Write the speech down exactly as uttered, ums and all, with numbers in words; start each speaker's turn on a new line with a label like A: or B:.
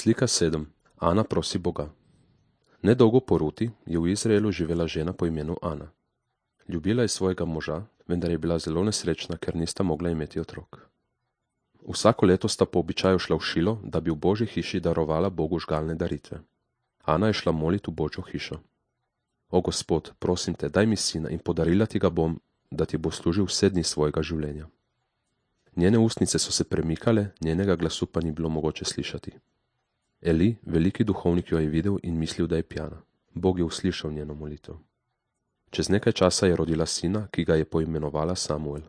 A: Slika sedem. Ana prosi Boga. Nedolgo po Ruti je v Izraelu živela žena po imenu Ana. Ljubila je svojega moža, vendar je bila zelo nesrečna, ker nista mogla imeti otrok. Vsako leto sta po običaju šla v Šilo, da bi v Božji hiši darovala Bogu žgalne daritve. Ana je šla molit v Božjo hišo. O Gospod, prosim te, daj mi sina in podarila ti ga bom, da ti bo služil vse dni svojega življenja. Njene ustnice so se premikale, njenega glasu pa ni bilo mogoče slišati. Eli, veliki duhovnik, jo je videl in mislil, da je pjana. Bog je uslišal njeno molitev. Čez nekaj časa je rodila sina, ki ga je poimenovala Samuel.